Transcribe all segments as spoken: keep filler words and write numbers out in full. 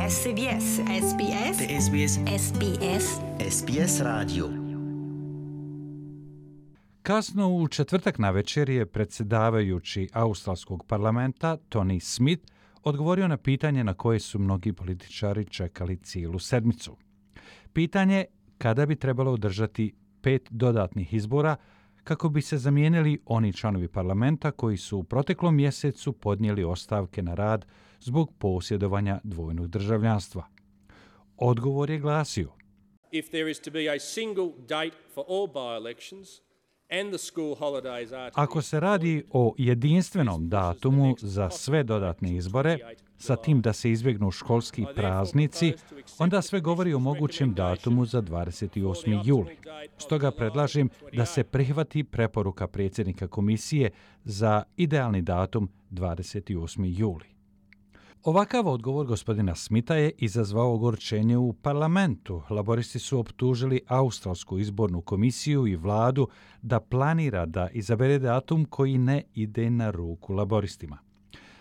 S B S, S B S, S B S, S B S, S B S radio. Kasno u četvrtak navečer je predsjedavajući australskog parlamenta Tony Smith odgovorio na pitanje na koje su mnogi političari čekali cijelu sedmicu. Pitanje kada bi trebalo održati pet dodatnih izbora kako bi se zamijenili oni članovi parlamenta koji su u proteklom mjesecu podnijeli ostavke na rad zbog posjedovanja dvojnog državljanstva. Odgovor je glasio: If there is to be a single date for all by-elections and the school holidays are to Ako se radi o jedinstvenom datumu za sve dodatne izbore, sa tim da se izbjegnu školski praznici, onda sve govori o mogućem datumu za dvadeset osmi juli. Stoga predlažem da se prihvati preporuka predsjednika komisije za idealni datum dvadeset osmi juli. Ovakav odgovor gospodina Smitha je izazvao ogorčenje u parlamentu. Laboristi su optužili Australsku izbornu komisiju i vladu da planira da izabere datum koji ne ide na ruku laboristima.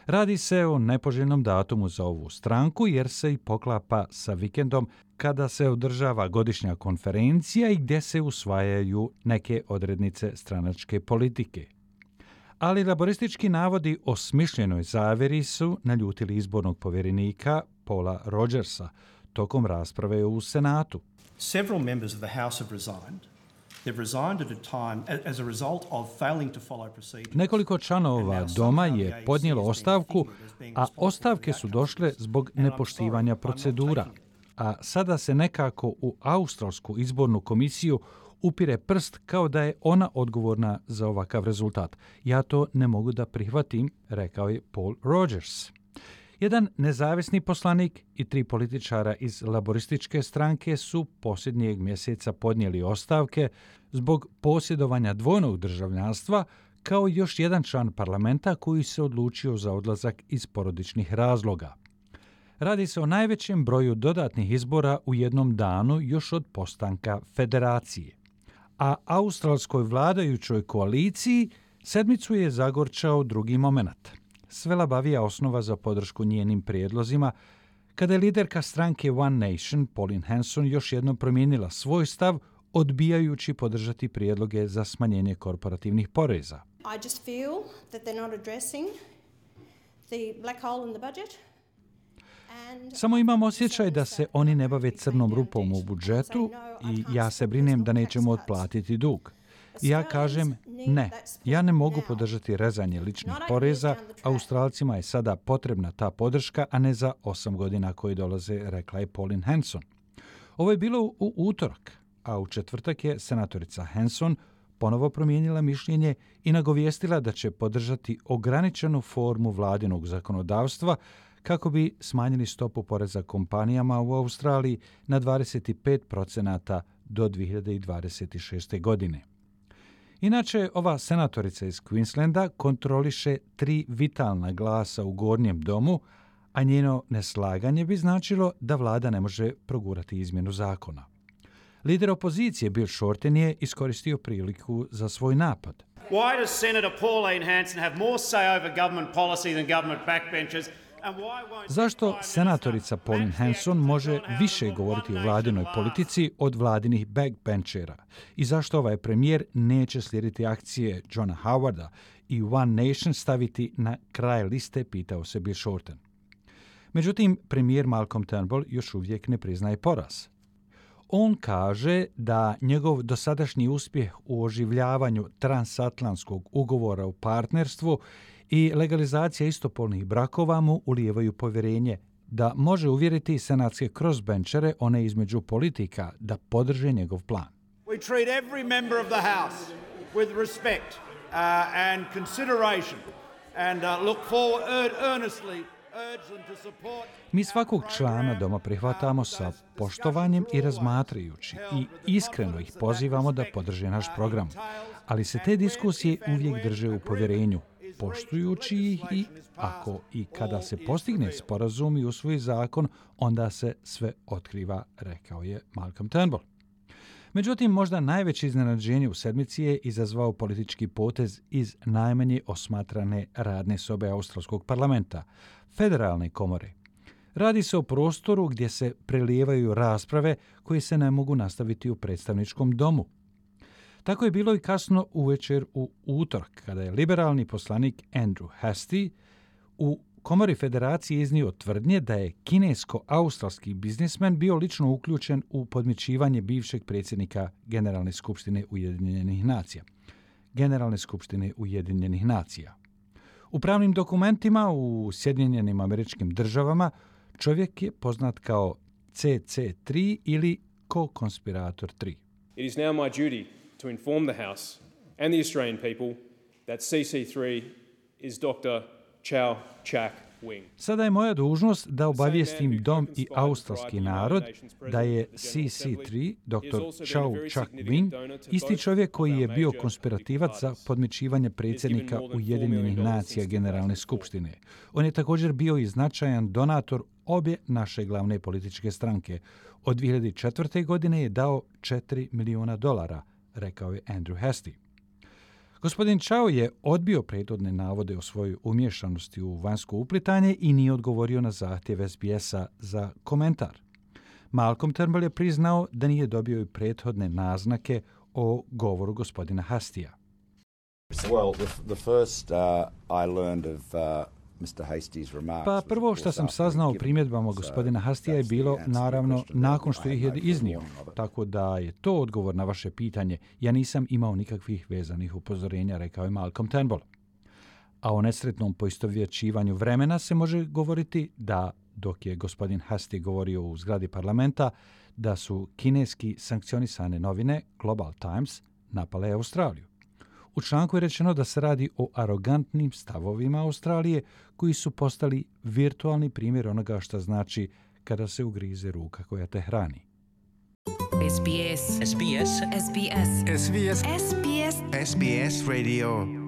Radi se o nepoželjnom datumu za ovu stranku jer se i poklapa sa vikendom kada se održava godišnja konferencija i gdje se usvajaju neke odrednice stranačke politike. Ali laboristički navodi o smišljenoj zavjeri su naljutili izbornog povjerenika Paula Rogersa tokom rasprave u Senatu. Several members of the House have resigned. They've resigned at a time as a result of failing to follow procedures. Nekoliko članova doma je podnijelo ostavku, a ostavke su došle zbog nepoštivanja procedura. A sada se nekako u Australsku izbornu komisiju upire prst kao da je ona odgovorna za ovakav rezultat. Ja to ne mogu da prihvatim, rekao je Paul Rogers. Jedan nezavisni poslanik i tri političara iz laborističke stranke su posljednjeg mjeseca podnijeli ostavke zbog posjedovanja dvojnog državljanstva, kao i još jedan član parlamenta koji se odlučio za odlazak iz porodičnih razloga. Radi se o najvećem broju dodatnih izbora u jednom danu još od postanka federacije. A australskoj vladajućoj koaliciji sedmicu je zagorčao drugi moment. Sve labavija osnova za podršku njenim prijedlozima, kada je liderka stranke One Nation, Pauline Hanson, još jednom promijenila svoj stav, odbijajući podržati prijedloge za smanjenje korporativnih poreza. I just feel that they're not addressing the black hole in the budget. Samo imam osjećaj da se oni ne bave crnom rupom u budžetu i ja se brinem da nećemo otplatiti dug. I ja kažem ne, ja ne mogu podržati rezanje ličnih poreza, Australcima je sada potrebna ta podrška, a ne za osam godina koji dolaze, rekla je Pauline Hanson. Ovo je bilo u utorak, a u četvrtak je senatorica Hanson ponovo promijenila mišljenje i nagovijestila da će podržati ograničenu formu vladinog zakonodavstva kako bi smanjili stopu poreza kompanijama u Australiji na dvadeset pet procenata do dvije hiljade dvadeset šeste. godine. Inače, ova senatorica iz Queenslanda kontroliše tri vitalna glasa u gornjem domu, a njeno neslaganje bi značilo da vlada ne može progurati izmjenu zakona. Lider opozicije Bill Shorten je iskoristio priliku za svoj napad. Why does Senator Pauline Hanson have more say over government policy than government backbenchers? Zašto senatorica Pauline Hanson može više govoriti o vladinoj politici od vladinih backbenchera? I zašto ovaj premijer neće slijediti akcije Johna Howarda i One Nation staviti na kraj liste, pitao se Bill Shorten. Međutim, premijer Malcolm Turnbull još uvijek ne priznaje poraz. On kaže da njegov dosadašnji uspjeh u oživljavanju transatlantskog ugovora o partnerstvu i legalizacija istopolnih brakova mu ulijevaju povjerenje da može uvjeriti senatske crossbenchere, one između politika, da podrže njegov plan. We treat every member of the House with respect uh, and consideration and uh, look forward earnestly. Mi svakog člana doma prihvatamo sa poštovanjem i razmatrajući i iskreno ih pozivamo da podrže naš program. Ali se te diskusije uvijek drže u povjerenju, poštujući ih i ako i kada se postigne sporazum i usvoji zakon, onda se sve otkriva, rekao je Malcolm Turnbull. Međutim, možda najveće iznenađenje u sedmici je izazvao politički potez iz najmanje osmatrane radne sobe Australskog parlamenta, federalne komore. Radi se o prostoru gdje se prelijevaju rasprave koje se ne mogu nastaviti u predstavničkom domu. Tako je bilo i kasno uvečer u utorak, kada je liberalni poslanik Andrew Hastie u Komori Federacije iznio tvrdnje da je kinesko-australski biznismen bio lično uključen u podmićivanje bivšeg predsjednika Generalne skupštine Ujedinjenih nacija. Generalne skupštine Ujedinjenih nacija. U pravnim dokumentima u Sjedinjenim Američkim Državama čovjek je poznat kao C C tri ili co-konspirator tri. It is now my duty to inform the House and the Australian people that C C three is Doctor Chow Chak Wing. Sada je moja dužnost da obavijestim dom i australski narod da je C C tri, doktor Chow Chak Wing, isti čovjek koji je bio konspirativac za podmićivanje predsjednika Ujedinjenih nacija Generalne skupštine. On je također bio i značajan donator obje naše glavne političke stranke. Od dvije hiljade četvrte. godine je dao četiri milijuna dolara, rekao je Andrew Hastie. Gospodin Chow je odbio prethodne navode o svojoj umješanosti u vanjsko uplitanje i nije odgovorio na zahtjev S B S-a za komentar. Malcolm Turnbull je priznao da nije dobio i prethodne naznake o govoru gospodina Hastija. Well, the, the first uh, I learned of uh, mister Hastie's remarks. Pa prvo što sam saznao o primjedbama gospodina Hastija je bilo, naravno, nakon što ih je iznio, tako da je to odgovor na vaše pitanje. Ja nisam imao nikakvih vezanih upozorenja, rekao je Malcolm Turnbull. A o nesretnom poistovjećivanju vremena se može govoriti da, dok je gospodin Hastie govorio u zgradi parlamenta, da su kineski sankcionisane novine Global Times napale Australiju. U članku je rečeno da se radi o arogantnim stavovima Australije koji su postali virtualni primjer onoga što znači kada se ugrize ruka koja te hrani. S B S. S B S. S B S. S B S. S B S. S B S Radio.